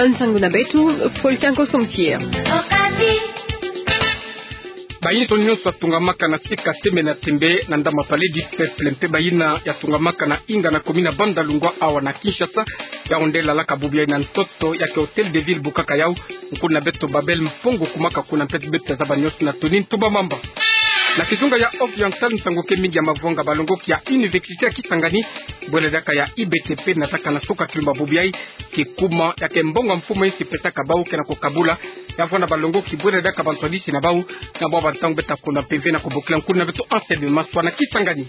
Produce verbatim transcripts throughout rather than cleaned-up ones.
Nsangu na beto, Paul Tanko Somsier. Bainzo nyonso ya tungamaka na sika tembe na tembe na ndambu ya Palais du Peuple mpe bayina ya tungamaka na inga na commune ya Bandalungwa awa na Kinshasa, yao nde lalaka bubu yayi na ntoto ya ke Hôtel de Ville bukaka yau. Nkuna beto Babel Mpongo kumaka kuna mpe beto ya zaba nyonso na Tony Ntumba Mamba. Na kizunga ya Oriental, nsangu ke mingi ya mavwanga balongoki ya Université ya Kisangani, bwele diaka ya I B T P, nataka na suka kilumba bubu yayi, kikuma ya ke mbongo ya mfumu ya insi pesaka bau ke na kukabula ya vwanda balongoki bwele diaka bantwadisi na bau, na bwa bantangu beta kuna mpeve na kubokila nkuna beto Anselme Maswa na Kisangani.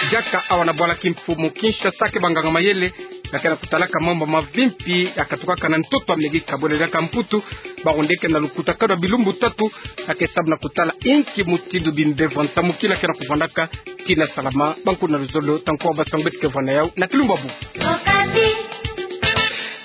Diaka awa na bwala kimfumu Kinshasa ke banganga mayele ya ke na kutalaka mambu mavimpi ya katukaka na ntoto ya mege ka bwele diaka Mputu, bau nde ke na lukutakanu ya bilumbu tatu ya ke sabu na kutala inki mutindu bimbevo ya nsamukila ke na kuvwandaka tii na salama. Bankuna luzolo, tankuwa basangu beto ke vwanda yau na kilumba bubu.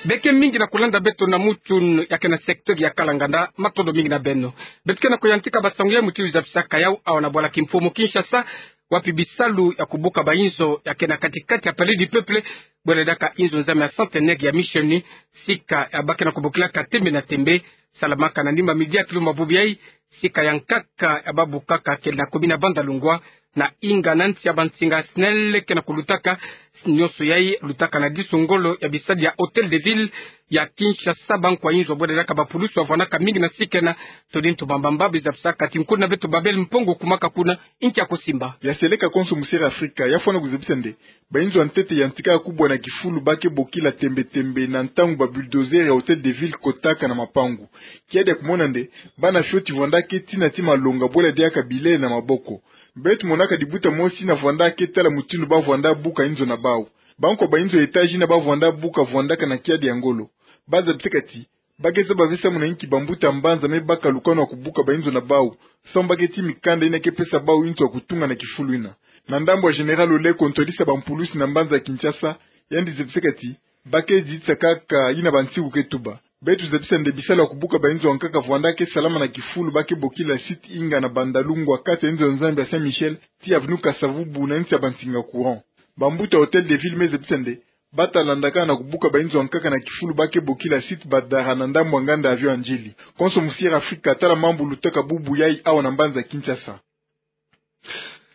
Beke mingi na kulanda beto na mutu ya ke na secteur ya Kalanganda, matondo mingi na beno. Beto ke na kuyantika basangu ya mutindu zabisaka yau awa na bwala kimfumu Kinshasa, wapi bisalu ya kubuka bainzo ya ke na kati-kati ya Palais du Peuple, bwele diaka inzo nzambi ya Centenaire ya Mission, sika ya ba ke na kubokilaka tembe na tembe, salamaka na nima midi ya kilumba bubu yayi, sika ya nkaka ya ba bukaka ke na commune ya Bandalungwa, na inga na nsi ya bansinga SNEL ke na kulutaka. Nyonso yayi lutaka na disu ngolo ya bisadi ya Hôtel de Ville ya Kinshasa, bankwa inzo bwele diaka bapulusu ya vwandaka mingi na sika ena. Tony Ntumba Mamba, bizabisaka ti nkuna beto Babel Mpongo kumaka kuna, inki ya kusimba. Ya seleka konso, Musiere Afrika, ya fwana kuzabisa nde bainzo ya ntete ya ntika ya kubwa na kifulu ba ke bokila tembe-tembe na ntangu ba bulldozer ya Hôtel de Ville kotaka na mapangu. Kiadi ya kumona nde bana fioti vwandaka tii na ti malonga bwele diaka bilele na maboko. Beto monaka dibuta mosi na vwandaka tala mutindu ba vwanda buka inzo na bau. Bankwa bainzo ya étage ina ba vwanda buka vwandaka na kiadi ya ngolo. Ba zabisaka ti ba ke zaba ve samu na inki bambuta mbanza me baka lukanu ya kubuka bainzo na bau, samu ba ke tii mikanda ina ke pesa bau inzo ya kutunga na kifulu ina. Na ndambu ya Général Oleko, ntwadisi ya bampulusi na mbanza Kinshasa, yandi zabisaka ti ba ke zitisa kaka ina bansiku ke tuba. Beto zabisa nde bisalu ya kubuka bainzo ya nkaka vwandaka salama na kifulu ba ke bokila site inga na Bandalungwa, kati ya inzo ya nzambi ya Saint Michel tii avenue Kasa-Vubu na nsi ya bansinga courant. Bambuta Hôtel de Ville me zabisa nde bata landaka na kubuka bainzo ya nkaka na kifulu ba ke bokila site Badara na ndambu ya nganda avion ya Ndjili. Konso Musiere Afrika, tala mambu lutaka bubu yayi awa na mbanza Kinshasa.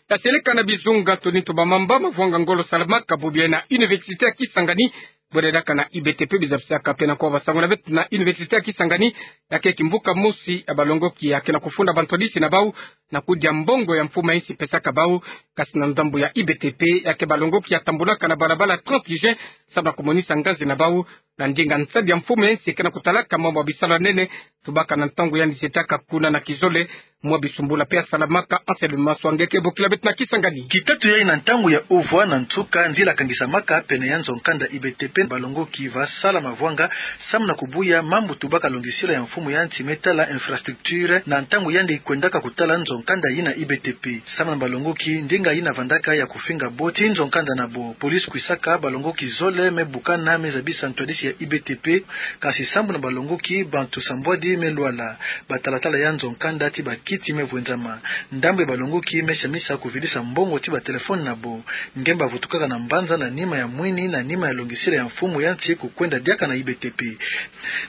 Ya seleka na bizunga, Tony Ntumba Mamba, mavwanga ngolo salamaka bubu yayi na Université ya Kisangani, bwele diaka na I B T P, bizabisaka mpe na kuwa basangu na beto na Université ya Kisangani, ya ke kimvuka mosi ya balongoki ya ke na kufunda bantwadisi na bau na kudia mbongo ya mfumu ya insi pesaka bau. Kasi na ndambu ya I B T P, ya ke balongoki ya tambulaka na balabala trente juin, samu na kumonisa ngazi na bau na ndinga nsadi ya mfumu ya insi ke na kutalaka mambu ya bisalu ya nene, tubaka na ntangu yandi zetaka kuna na kizole. Mwa bisumbula mpe ya salamaka, Anselme Maswa nge ke bokila beto na Kisangani. Kitatu yayi na ntangu ya uvwa na nsuka, nzila kangisamaka pene ya nzo-nkanda I B T P, balongoki va sala mavwanga samu na kubuya mambu tubaka longisila ya mfumu ya nsi me tala infrastructure na ntangu yandi kwendaka kutala nzo-nkanda yina I B T P. Samu na balongoki, ndinga yina vandaka ya kufinga bo tii nzo-nkanda na bo. Police kwisaka, balongoki zole me bukana me zabisa ntwadisi ya I B T P, kasi sambu na balongoki, bantu sambwadi me lwala. Batalatala ya nzo-nkanda tii bakiti me vwenzama. Ndambu ya balongoki me samisa kuvidisa mbongo tii batelefone na bo. Nge bavutukaka na mbanza na nima ya mwini, na nima ya longisila ya mfumu ya nsi kukwenda diaka na I B T P.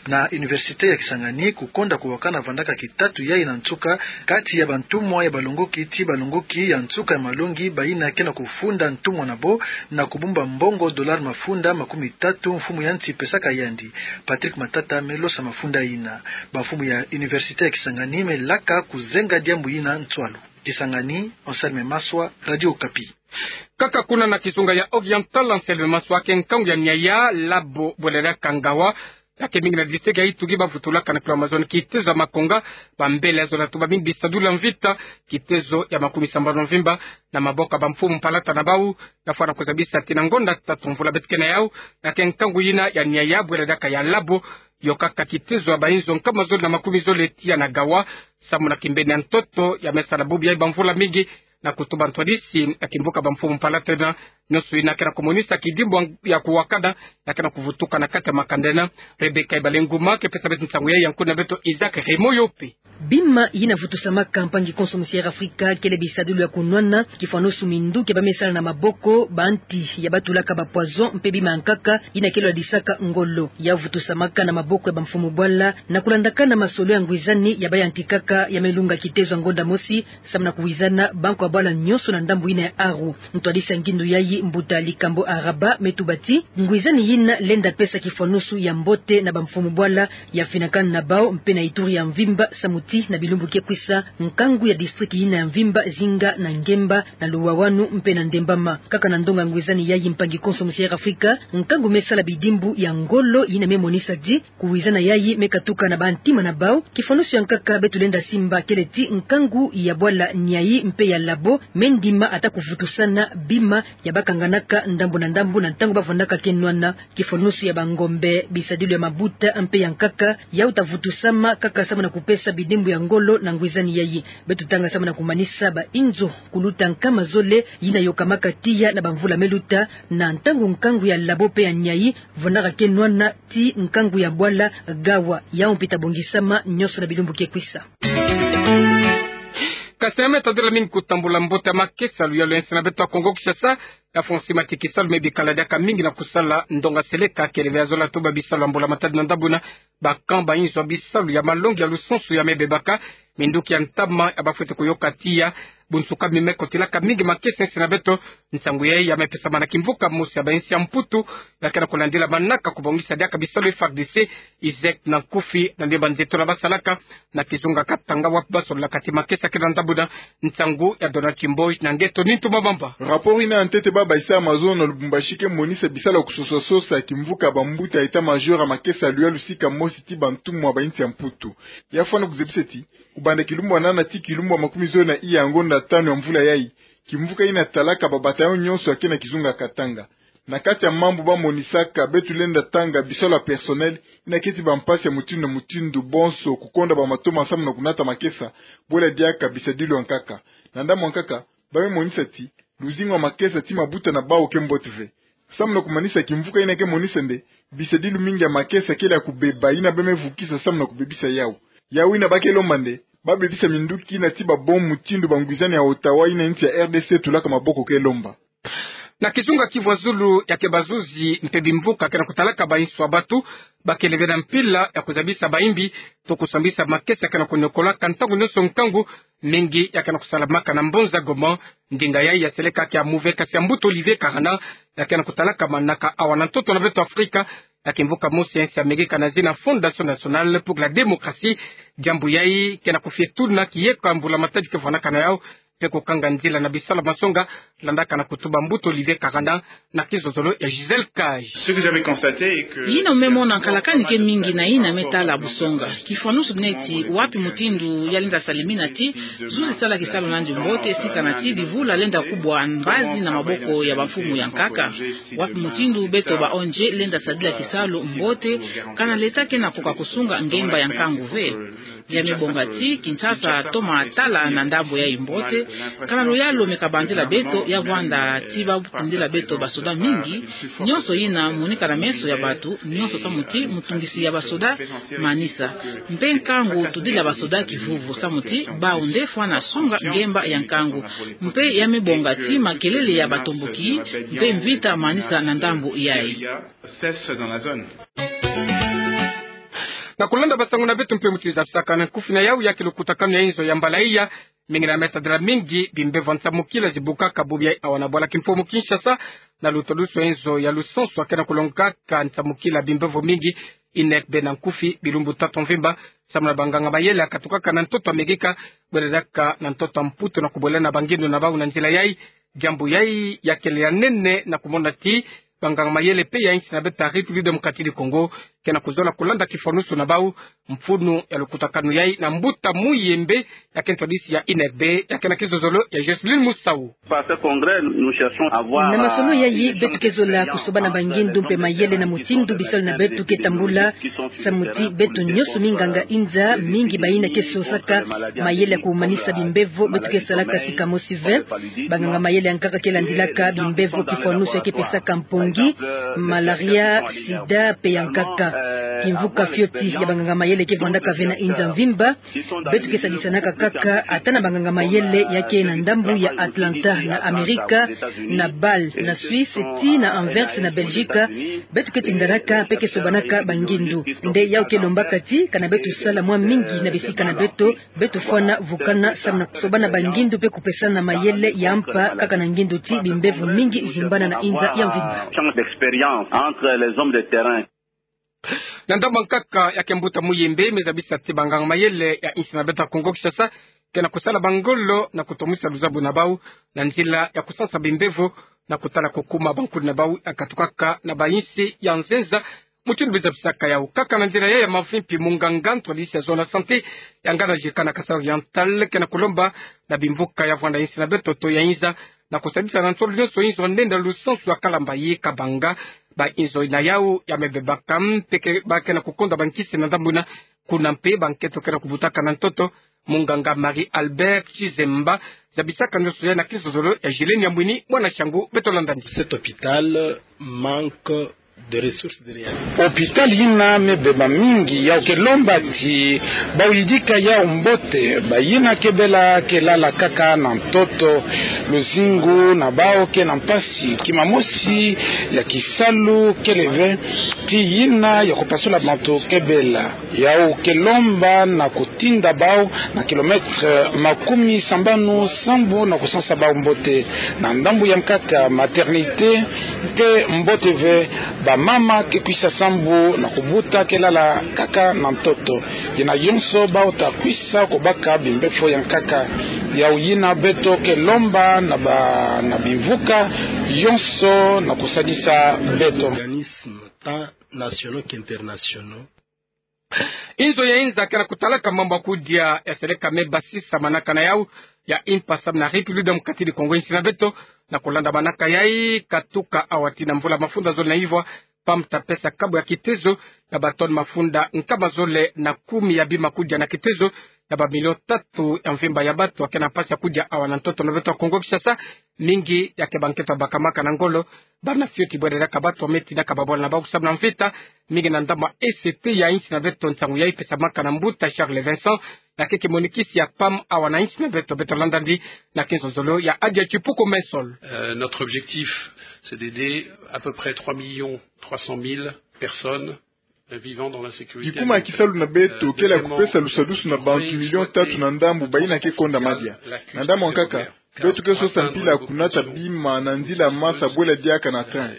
Na Université ya Kisangani, kukonda kuwakana vandaka kitatu yayi na nsuka, kati ya bantumwa ya balongoki tii balongoki ya nsuka ya malongi, bayina ke na kufunda ntumwa na bo na kubumba mbongo dollar mafunda makumi tatu mfumu ya nsi pesaka yandi. Patrick Matata me losa mafunda yina. Bamfumu ya Université ya Kisangani me laka kuzenga diambu yina nswalu. Kisangani, Anselme Maswa, Radio Okapi. Kaka kuna na kizunga ya Oriental, Anselme Maswa, ke nkangu ya Niaya, Labo, bwele diaka Ngawa, ya ke mingi na district ya Ituri, bavutulaka na kilo ya mazono kitezo ya makonga, bambele ya zola tuba mingi bisadulu ya mvita, kitezo ya makumi sambanu mvimba, na maboko ya bamfumu mpalata na bau, ya fwana kuzabisa ti na ngonda tatu mvula beto ke na yau, ya ke nkangu yina ya Niaya, bwele diaka ya Labo, yokaka kitezo ya bainzo nkama zole na makumi zole tiya na Ngawa, samu na kimbeni ya ntoto ya me sala bubu yayi bamvula mingi, na kutuba ntwadisi ya kimvuka bamfumu mpalata na nyonso yina ke na kumonisa kidimbu ya kuwakana, ya ke na kuvutuka na kati ya makanda ena. Rebecca Ibalenguma ke pesa beto nsangu yayi, ya nkuna beto Isaac Raymond Yope. Bima yina vutusamaka mpangi konso musi Air Africa kele bisadilu ya kunwana, kifwanusu minduki ya bamesala na maboko, banti ya batulaka ba poison mpe bima ya nkaka yina kele ladisaka ngolo. Ya vutusamaka na maboko ya bamfumu bwala na kulandakana masolo ya ngwizani ya bayantikaka ya melunga kitezo ya ngonda mosi, samu na kuwizana banko ya bwala nyonso na ndambu yina ya Aru. Ntwadisi ya ngindu yayi, mbuta Likambo Araba, me tuba ti ngwizani yina lenda pesa kifwanusu ya mbote na bamfumu bwala ya finakana na bawu mpe na Ituri ya mvimba, samu ti na bilumbu ke kwisa, nkangu ya district yina ya mvimba zinga na Ngemba, na Luwawanu mpe na Ndembama. Kaka na ndonga ngwizani yayi, mpangi konso musi Air Africa, nkangu mesala bidimbu ya ngolo yina memonisa ti kuwizana yayi me katuka na bantima na bawu. Kifwanusu ya nkaka beto lenda simba kele ti nkangu ya bwala Niari mpe ya Labo me ndima ata kuvutusana bima ya bakanganaka ndambu na ndambu na ntangu bavwandaka ke nwana. Kifwanusu ya bangombe, bisadilu ya mabuta mpe ya nkaka, yawu ta vutusama kaka samu na kupesa bidimbu ya ngolo na ngwizani yayi. Beto tanga samu na kumanisa ba inzo kuluta nkama zole yina yokamaka tiya na bamvula meluta, na ntangu nkangu ya Labo mpe ya Niari vwandaka ke nwana ti nkangu ya bwala Gawa, yawu mpi ta bongisama nyonso na bilumbu ke kwisa. Kasi ya me tadila mingi kutambula mbote ya makesa ya luyalu ya nsi na beto ya Kongo Kinshasa, ya fongisi mati kisalu me bikala diaka mingi na kusala ndonga seleka kele ve ya zola tuba bisalu ya mbula matadi na ndambu yina. Ba camp, ba inzo ya bisalu ya malongi ya lusansu ya me bebaka, minduki ya ntama ya bafwete kuyoka tiya, bunsuka mi me kotilaka mingi makesa ya nsi na beto. Nsangu yayi ya me pesama na kimvuka mosi ya ba insi ya Mputu, ya ke na kulandila manaka kubongisa diaka bisalu F A R D C, ISEC na nkufi, na ndemba nzeto na basalaka na kizunga Katanga, wapi basololaka ti makesa kele na ndambu yina. Nsangu ya Donald Chimboj na ngeto Nintu Mabamba. Rapport yina ya ntete ba baisa ya mazono na Lubumbashi ke monisa bisalu ya kusosa-sosa ya kimvuka ya bambuta ya état-major ya makesa ya luyalu sika mosi ti bantumwa ba insi ya Mputu. Ya fwana kuzebisa ti, kubanda kilumbu ya nana ti kilumbu ya makumizole na iya ya ngonda tanu ya mvula yayi, kimvuka yina talaka ba bataillon nyonso ya ke na kizunga Katanga. Na kati ya mambu ba monisaka, beto lenda tanga bisalu ya personnel yina keti ba mpasi ya mutindu na mutindu, bonso kukonda ba matoma samu na kunata makesa, bwela diaka bisadilu ya nkaka. Na ndambu ya nkaka, ba me monisa ti luzingu ya makesa ti mabuta na bawu ke mbote ve. Samu na kumanisa kimvuka yina ke monisa nde bisadilu mingi ya makesa kele ya kubeba, yina ba me vukisa samu na kubebisa yawu. Yawu yina ba ke lomba nde ba bebisa minduki yina ti ba bombe mutindu bangwizani ya Ottawa yina insi ya R D C tulaka maboko ke lomba. Na kizunga Kivu ya Zulu, ya ke bazuzi mpe bimvuka ke na kutalaka ba insu ya batu, ba kele ve na mpila ya kuzabisa bayimbi to kusambisa makesa ya ke na kuniokolaka ntangu nyonso nkangu mingi ya ke na kusalamaka na mbonza Goma. Ndinga yayi ya seleka ke ya move, kasi ya mbuta Olivier Karana, ya ke na kutalaka manaka awa na ntoto na beto Afrika, ya kimvuka mosi ya insi ya Amerika na zina Fondation Nationale pour la Démocratie. Diambu yayi ke na kufie tuna kieko ya mbula matadi ke vwanaka na yawu, mpe kukanga nzila na bisalu ya masonga, landaka na kutuba mbuta Olivier Karana na kizozolo ya Gisèle Cage. Ce que j'avais constaté est que yina me mona nkalakani ke mingi na yina me tala busonga. Kifwanusu neti wapi mutindu ya lenda salimina ti zuzi sala kisalu nandi mbote, sika na ti divula lenda kubwa mbazi na maboko ya bamfumu ya nkaka. Wapi mutindu beto ba O N G lenda sadila kisalu mbote, kana leta ke na koka kusunga ngemba ya nkangu ve. Ya me bonga ti Kinshasa toma tala na ndambu yayi mbote, kana luyalu me kabanzila beto, ya vwanda ti ba tindila beto basoda mingi. Nyonso yina monika na meso ya batu nyonso samu ti mutungisi ya basoda manisa. Mpe nkangu tudila basoda kivuvu samu ti bawu nde fwana songa ngemba ya nkangu. Mpe ya me bonga ti makelele ya batomboki mpe mvita manisa na ndambu yayi. Cesse dans la zone. Na kulanda basangu na beto mpe mutindu zabisaka na nkufi na yawu, ya ke lukutakanu ya inzo ya mbala iya, mingi na me tadila mingi bimbevo ya nsamukila zibukaka bubu yayi awa na bwala kimfumu Kinshasa, na lutwadusu ya inzo ya lusansu ya ke na kulongaka nsamukila bimbevo mingi, INECB na nkufi, bilumbu tatu mvimba, samu na banganga mayele ya katukaka na ntoto Amerika, bwela diaka na ntoto Mputu na kubwela na bangindu na bawu na nzila yayi. Diambu yayi ya kele ya nene na kumona ti banganga mayele mpe ya insi na beto ya République Démocratique du Congo ke na kuzola kulanda kifwanusu na bawu. Mfunu ya lukutakanu yayi na mbuta Muyembe, ya ke ntwadisi ya INECB, ya ke na kizozolo ya Jocelyne Musau. Par ce congrès, nous cherchons à voir, na masolo yayi, euh, beto ke zola kusoba na bangindu mpe mayele na mutindu bisalu na beto ke tambula. Samu ti beto nyonso minganga inza, mingi bayina ke sosaka mayele ya kumanisa bimbevo, beto ke salaka sika mosi ve. Banganga mayele ya nkaka ke landilaka bimbevo kifwanusu ya ke pesaka mpongi, malaria, sida mpe ya nkaka. Kimvuka fioti ya banganga mayele ke vandaka ve na inza mvimba. Beto ke sadisanaka kaka ata na banganga mayele ya ke na ndambu ya Atlanta na Amerika, na Bâle na Suisse, tii na Anvers na Belgique. Beto ke tindanaka mpe ke sobanaka bangindu. Nde yau ke lombaka ti kana beto sala mwa mingi na bisika na beto, beto fwana vukana samu na kusobana bangindu mpe kupesana mayele ya mpa kaka na ngindu ti bimbevo mingi zimbana na inza ya mvimba. Na ndambu ya nkaka ya ke mbuta Muyembe me zabisa ti banganga mayele ya insi na beto ya Kongo Kinshasa ke na kusala bangolo na kutomisa luzabu na bau na nzila ya kusansa bimbevo na kutala kukuma bankundi na bau ya katukaka na bainsi ya nzenza. Mutindu beno zabisaka yau kaka na nzila ya ya mavimpi, munganga ntwadisi ya zone ya santé ya ngana jika na Kasaï Oriental ke na kulomba na bimvuka ya vwanda insi na beto to ya inza na kusadisa na nsolo nyonso inzo nenda lusansu ya kalamba yi kabanga bainzo na yau ya mebebaka mpe ke ba ke na kukonda bankisi na ndambu na kuna mpe bankento ke na kubutaka na ntoto. Munganga Marie Albert Chizemba zabisaka nyonso ya na kizozolo ya Gilene Yamwini, mwana Shangu, beto landani. Cet hôpital manque de ressources de réanimation. Hôpital yina mebeba mingi, yau ke lomba ti bau yidika yau mbote, bayina ke bela ke lala kaka na ntoto, luzingu na bau ke na mpasi, kima mosi ya kisalu kele ve, ti yina ya kupasula bantu ke bela. Yau ke lomba na kutinda bau na kilomètre makumi sambanu sambu na kusansa bau mbote. Na ndambu ya nkaka, maternité ke mbote ve, bamama ke kwisa sambu na kubuta ke lala kaka na ntoto. Yina yonso bau ta kwisa kubaka bimbefo ya nkaka. Yau yina beto ke lomba na ba, na bimvuka yonso na kusadisa beto. Organismes tant nationaux qu'internationaux. Inzo ya inza ke na kutalaka mambu ya kudia ya seleka me basisa manaka na yau ya impa samu na République démocratique du Congo, insi na beto, na kulanda manaka yai, katuka awa tii na mvula mafunda zole na ivwa, PAM ta pesa kabu ya kitezo ya ba tonne mafunda nkama zole na kumi ya bima kudia na kitezo ya ba million tatu ya mvimba ya bato ya ke na mpasi ya kudia awa na ntoto na beto ya Kongo Kinshasa. Mingi ya ke bankento ya bakamaka na ngolo, bana fioti bwele diaka bato me tinaka babwala na bau samu na mvita, mingi na ndambu ya E C T ya insi na beto. Nsangu yai pesamaka na mbuta Charles Vincent, na keke monikisi ya PAM awa na insi na beto. Beto landani na kizozolo ya Adia Chipuko Mensol. Euh, notre objectif, c'est d'aider à peu près trois millions trois cent mille personnes vivant dans l'insécurité alimentaire. Kikuma ya kisalu na beto kele ya kupesa lusadusu na bantu million tatu na ndambu bayina ke konda madia. Na ndambu ya nkaka, beto ke sosa mpila ya kunata bima na nzila masa bwele diaka na train.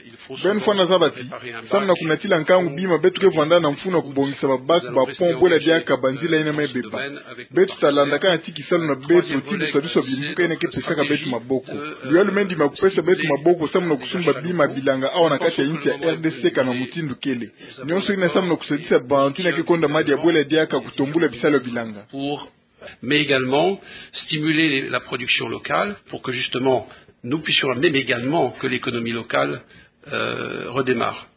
Beno fwana zaba ti, samu na kunatila nkangu bima, beto ke vwanda na mfunu ya kubongisa ba bac, ba pont, bwele diaka banzila yina mebeba. Beto ta landakana ti kisalu na beto ti lusadusu ya bimvuka yina ke pesaka beto maboko. Luyalu me ndima kupesa beto maboko samu na kusumba bima bilanga awa na kati ya insi ya R D C kana mutindu kele. Nyonso yina samu na kusadisa bantu yina ke konda madia bwele diaka kutombula bisalu ya bilanga. Pour, mais également stimuler les, la production locale pour que justement nous puissions, mais également que l'économie locale, euh, redémarre.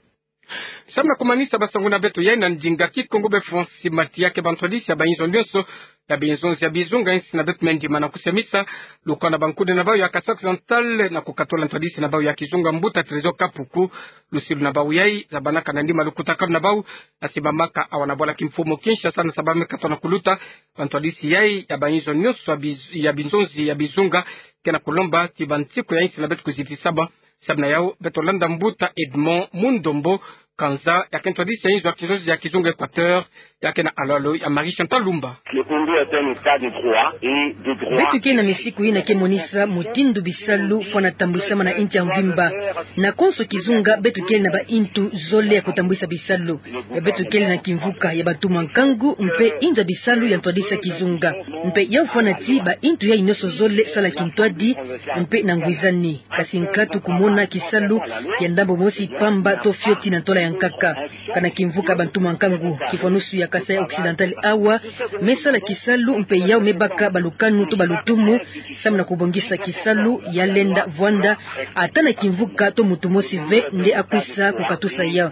Samu na kumanisa basangu na beto yai na ndinga Kikongo, beno fwa nsi mati ya ke bantwadisi ya bainzo nyonso ya binzonzi ya bizunga insi na beto me ndima na kusemisa lukwa na bankundi na bau ya Kasaï Oriental na kukatula ntwadisi na bau ya kizunga, mbuta Trésor Kapuku. Lusilu na bau yai zabanaka na ndima lukutakanu na bau, na simbamaka awa na bwala kimfumu Kinshasa, na sababu me katona kuluta bantwadisi yai ya bainzo nyonso ya biz-, ya binzonzi ya bizunga, ke na kulomba ti bansiku ya insi na beto kuzitisa bau. Samu na yau, beto landa mbuta Edmond Mundombo Kanza, ya ke ntwadisi ya inzo ya kizunga, ya kizunga Équateur, ya ke na alalo ya Marie Chantal Lumba. Le Congo est un état de droit et de droit. Beto ke na misiku yina ke monisa mutindu bisalu fwana tambwisama na insi ya mvimba. Na konso kizunga, beto kele na baintu zole ya kutambwisa bisalu. Ya beto kele na kimvuka ya bantu mwa nkangu mpe inzo ya bisalu ya ntwadisi ya kizunga. Mpe yau fwana ti baintu yai nyonso zole sala kintwadi mpe na ngwizani. Kasi nkatu kumona kisalu ya ndambu mosi pamba to fioti na ntola ya nkaka. Kana kimvuka bantu mwa nkangu, kifwanusu ya Kasaï Occidental awa, me sala kisalu mpe yau me baka balukanu to balutumu, samu na kubongisa kisalu ya lenda vwanda, ata na kimvuka to muntu mosi ve nde akwisa kukatusa yau.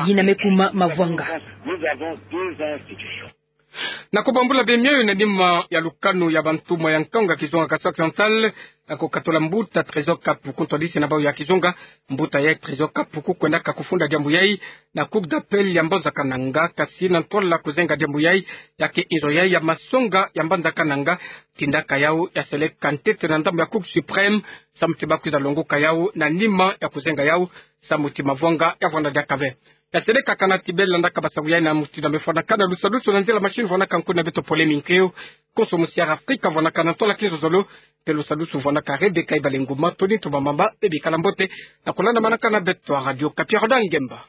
Yina me kuma mavwanga. Na kubambula bemioyo na nima ya lukanu ya bantumwa ya ntonga kizunga Kasaï Occidental, na kukatula mbuta Trésor Kapuku, ntwadisi na bawu ya kizunga. Mbuta ya Trésor Kapuku kwendaka kufunda diambu yayi na Cour d'appel ya Mbanza Kananga, kasi na ntwala kuzenga diambu yayi, ya ke inzo yayi ya masonga ya Mbanza Kananga, tindaka yawu ya seleka ntete na ndambu ya Cour suprême, samu ti bakwiza longoka yawu na nima ya kuzenga yawu, samu ti mavwanga ya vwanda diaka ve. Ya seleka kana ti bela ndaka basaku yayi na mutindu mefwanakana lusalusu na nzila machine vwanaka nkuna beto Pole Minkeo, konso musi ya Afrika vwanaka na ntwala kizozolo, mpe lusalusu vwanaka Rebecca Ibalenguma, Tony Ntumamamba, bebikala mbote, na kulandamanaka na beto a Radio Kapi ya Roda Ngemba.